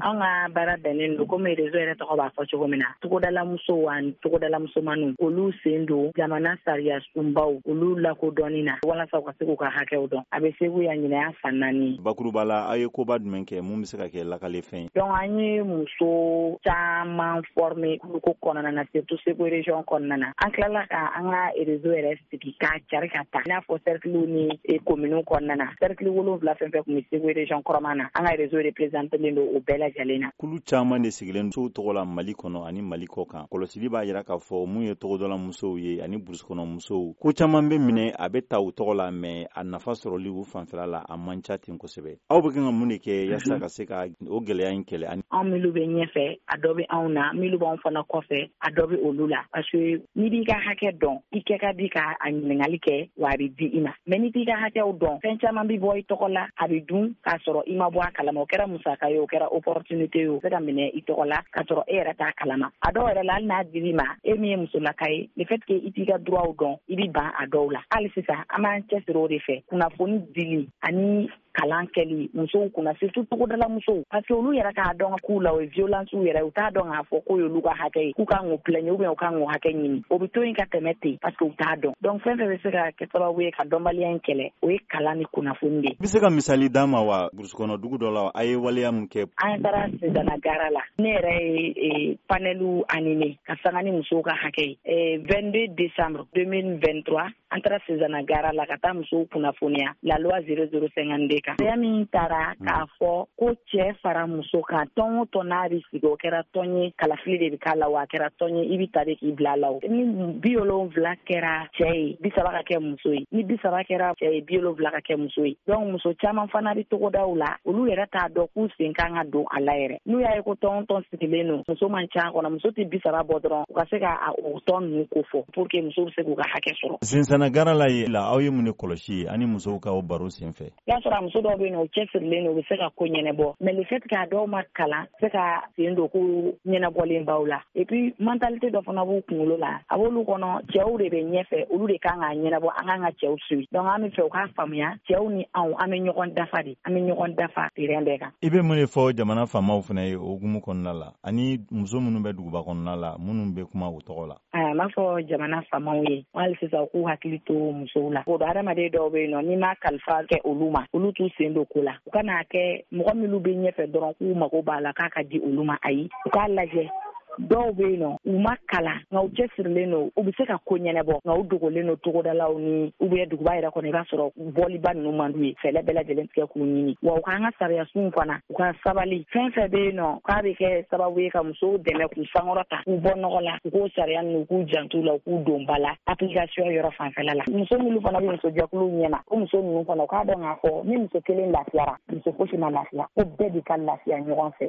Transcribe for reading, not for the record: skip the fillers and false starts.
An ka baara bɛnnen don, komi réseau yɛrɛ tɔgɔ b'a fɔ cogo min na, togodalamusow ani togodalamusomaninw, olu sen don jamana sariya sunbaw, olu lakodɔnni na, walasa u ka se k'u ka hakɛw dɔn. A bɛ Segu yan, ɲinan y'a san 4. Bakuruba la, aw ye koba jumɛn kɛ mun bɛ se ka kɛ lakalefɛn ye? Donc an ye muso caman former ko kɔnɔna na, surtout Segu région kɔnɔna na. An tilala ka an ka réseau yɛrɛ sigi k'a cari ka taa, i n'a fɔ cercle ni commune kɔnɔna na. Cercle 7 fɛn fɛn tun bɛ Segu région kɔrɔma na, an ka réseau représentélen don o bɛɛ lajɛlen na. Kulu caman de sigilen musow tɔgɔ la Mali kɔnɔ ani Mali kɔ kan. Kɔlɔsili b'a jira k'a fɔ mun ye togodala musow ye ani burusukɔnɔ musow, ko caman bɛ minɛ, a bɛ ta u tɔgɔ la, mais a nafa sɔrɔli u fanfɛla la, a man ca ten kosɛbɛ. Aw bɛ kan ka mun de kɛ yaasa ka se ka o gɛlɛya in kɛlɛ? Ani anw minnu bɛ ɲɛfɛ, a dɔ bɛ anw na, minnu b'anw fana kɔfɛ, a dɔ bɛ olu la, parce que n'i b'i ka hakɛ dɔn, i kɛ ka di ka a ɲininkali kɛ, wa a bɛ di i ma. Mais n'i t'i ka hakɛw dɔn, fɛn caman bɛ bɔ i tɔgɔ la, a bɛ dun k'a sɔrɔ i ma bɔ a kalama. O kɛra musaka ye, o kɛra opportunité ye, o se ka minɛ i tɔgɔ la k'a sɔrɔ e yɛrɛ t'a kalama. A dɔw yɛrɛ la, hali n'a dir'i ma, e min ye musolaka ye, le fait que i t'i ka droit dɔn, i bɛ ban a dɔw la. Hali sisan an b'an cɛsiri o de fɛ, kunnafoni dili ani kalan kɛli musow kunna, surtout togodala musow, parce que olu yɛrɛ k'a dɔn k'u la o ye violence yɛrɛ, u t'a dɔn k'a fɔ k'o y'olu ka hakɛ ye, k'u kan k'o plaigner ou bien u kan k'o hakɛ ɲini. O bɛ to yen ka tɛmɛ ten, parce que u t'a dɔn. Donc fɛn fɛn bɛ se ka kɛ sababu ye ka dɔnbaliya in kɛlɛ, o ye kalan ni kunnafoni de ye. I bɛ se ka misali d'an ma wa, burusukɔnɔ dugu dɔ la, a ye waleya mun kɛ? An taara Sezana gara la. Ne yɛrɛ ye panel animé ka sanga ni musow ka hakɛ ye. 22 décembre 2023, an taara Sezana gara la ka taa musow kunnafoniya la loi 0052 kan. Sariya min taara k'a fɔ ko cɛ fara muso kan, tɔn o tɔn n'a bɛ sigi, o kɛra tɔn ye, kalafili de bɛ k'a la, wa a kɛra tɔn ye, i bɛ ta de k'i bila a la. O ni 70 kɛra cɛ ye, 30 ka kɛ muso ye. Ni 30 kɛra cɛ ye, 70 ka kɛ muso ye. Donc muso caman fana bɛ togodaw la, olu yɛrɛ t'a dɔn k'u sen kan ka don a la yɛrɛ. N'u y'a ye ko tɔn o tɔn sigilen don, muso man ca kɔnɔ, muso tɛ 30 bɔ dɔrɔn, u ka se ka o tɔn ninnu ko fɔ pour que musow bɛ se k'u ka hakɛ sɔrɔ. Sensana gara la ye la, aw ye mun de kɔlɔsi ye ani musow ka o baro sen fɛ? I y'a sɔrɔ a muso dɔw bɛ yen nɔ, u cɛsirilen don, u bɛ se ka ko ɲɛnɛbɔ, mais le fait que a dɔw ma kalan, se ka sen don ko ɲɛnabɔlen baw la. Et puis mentalité dɔ fana b'u kunkolo la, a b'olu kɔnɔ cɛw de bɛ ɲɛfɛ, olu de kan k'a ɲɛnabɔ, an kan ka cɛw suit. Donc an bɛ fɛ u k'a faamuya, cɛw ni anw, an bɛ ɲɔgɔn dafa de, an bɛ ɲɔgɔn dafa terrain bɛɛ kan. I bɛ mun de fɔ jamana faamaw fana ye o hukumu kɔnɔna la, ani muso minnu bɛ duguba kɔnɔna la, minnu bɛ kuma u tɔgɔ la? N b'a fɔ jamana faamaw ye, hali sisan u k'u hakili to musow la. O hadamaden dɔw bɛ yen nɔ, n'i ma kalifa kɛ olu ma, olu t'u sen don ko la. U kana kɛ mɔgɔ minnu bɛ ɲɛfɛ dɔrɔn k'u mago b'a la k'a ka di olu ma. Ayi, u k'a lajɛ, dɔw bɛ yen nɔ, u ma kalan, nka u cɛsirilen don, u bɛ se ka ko ɲɛnɛbɔ, nka u dogolen don togodalaw ni u bɛ duguba yɛrɛ kɔnɔ. I b'a sɔrɔ bɔliba ninnu man d'u ye, fɛɛrɛ bɛɛ lajɛlen tigɛ k'u ɲini. Wa u k'an ka sariya sunw fana, u ka sabali, fɛn fɛn bɛ yen nɔ k'a bɛ kɛ sababu ye ka musow dɛmɛ k'u sankɔrɔta, k'u bɔ nɔgɔ la, u k'o sariya ninnu, u k'u jantu la, u k'u don ba la application yɔrɔ fanfɛla la. Muso minnu fana bɛ musojɛkuluw ɲɛma, o muso ninnu fana, u k'a dɔn k'a fɔ ni muso kelen lafiyara, muso fosi ma lafiya, ko bɛɛ de ka lafiya ɲɔgɔn fɛ.